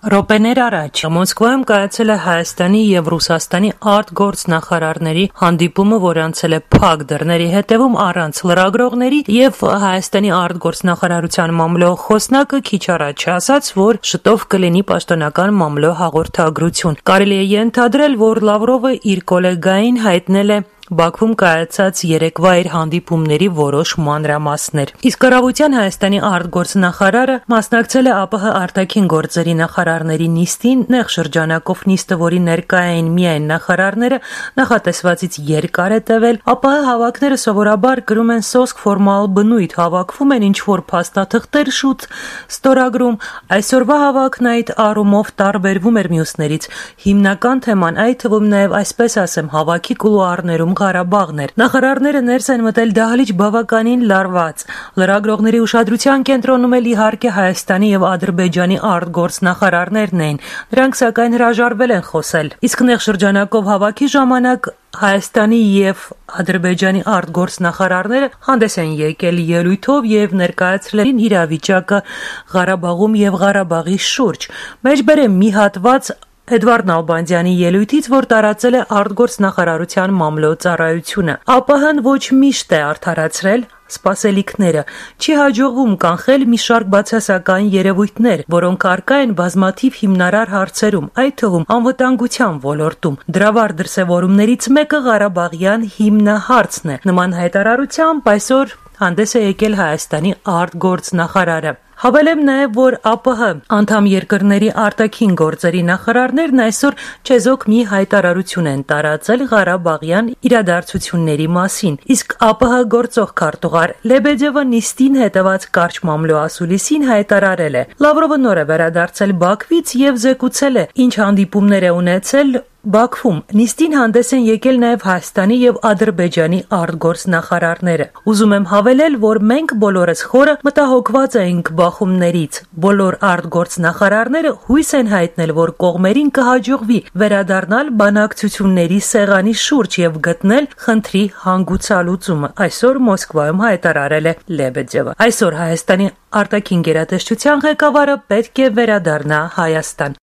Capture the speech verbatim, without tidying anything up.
Րոպեներ առաջ Մոսկվայում կայացել է Հայաստանի եւ Ռուսաստանի արտգործնախարարների հանդիպումը, որ անցել է փակ դռների հետևում առանց լրագրողների, եւ Հայաստանի արտգործնախարարության մամլոյ խոսնակը քիչ առաջ ասաց, որ շտով կլինի պաշտոնական մամլոյ հաղորդագրություն։ Կարելի է ենթադրել, որ Լավրովը իր գոլեգային հայտնել է Բաքվում կայացած երեկվա իր հանդիպումների որոշ մանրամասներ։ Իսկ կառավարության Հայաստանի արտգործնախարարը մասնակցել է ԱՊՀ արտաքին գործերի նախարարների նիստին, նեղ շրջանակով նիստը, որի ներկա էին միայն նախարարները, նախատեսվածից երկար է տևել։ ԱՊՀ հավաքները սովորաբար կրում են սոսկ ֆորմալ բնույթ, հավաքվում են ինչ-որ փաստաթղթեր շուտ ստորագրում։ Այսօրվա հավաքն այդ առումով տարբերվում էր մյուսներից։ Հիմնական թեման, այդ թվում նաև այսպես ասեմ, հավաքի կուլուարներում Ղարաբաղն էր։ Նախարարները ներս են մտել դահլիճ բավականին լարված։ Լրագրողների ուշադրության կենտրոնում էլ իհարկե Հայաստանի եւ Ադրբեջանի արտգործնախարարներն էին։ Նրանք սակայն հրաժարվել են խոսել։ Իսկ նեղ շրջանակով հավաքի ժամանակ Հայաստանի եւ Ադրբեջանի արտգործնախարարները հանդես են եկել ելույթով եւ ներկայացրել իրավիճակը Ղարաբաղում եւ Ղարաբաղի շուրջ։ Մեջբերեմ մի հատված Էդվարդ Նալբանդյանի ելույթից, որ տարածել է արտգործնախարարության մամլոյ ծառայությունը։ ԱՊՀ-ն ոչ միշտ է արդարացրել սպասելիքները, չի հաջողվում կանխել մի շարք բացասական երևույթներ, որոնք առկա են բազմաթիվ հիմնարար հարցերում, այդ թվում անվտանգության ոլորտում։ Դրավար դրսևորումներից մեկը Ղարաբաղյան հիմնահարցն է։ Նման հայտարարությամբ այսօր հանդես է եկել Հայաստանի արտգործնախարարը։ Հավելեմ նաև, որ ԱՊՀ անդամ երկրների արտաքին գործերի նախարարներն այսօր չեզոք մի հայտարարություն են տարածել Ղարաբաղյան իրադարձությունների մասին, իսկ ԱՊՀ գործող քարտուղար Լեբեդևը նիստին հետևած կարճ մամլոյ ասուլիսին հայտարարել է. Լավրովը նոր է վերադարձել Բաքվից եւ զեկուցել է, ինչ հանդիպումներ է ունեցել Բաքվում։ Նիստին հանդես են եկել նաև Հայաստանի եւ Ադրբեջանի արտգործնախարարները։ Ուզում եմ հավելել, որ մենք բոլորս խորը մտահոգված ենք բախումներից։ Բոլոր արտգործնախարարները հույս են հայտնել, որ կողմերին կհաջողվի վերադառնալ բանակցությունների սեղանի շուրջ եւ գտնել խնդրի հանգուցալուծումը։ Այսօր Մոսկվայում հայտարարել է Լեբեդևը։ Այսօր Հայաստանի արտաքին գերատեսչության ղեկավարը պետք է վերադառնա Հայաստան։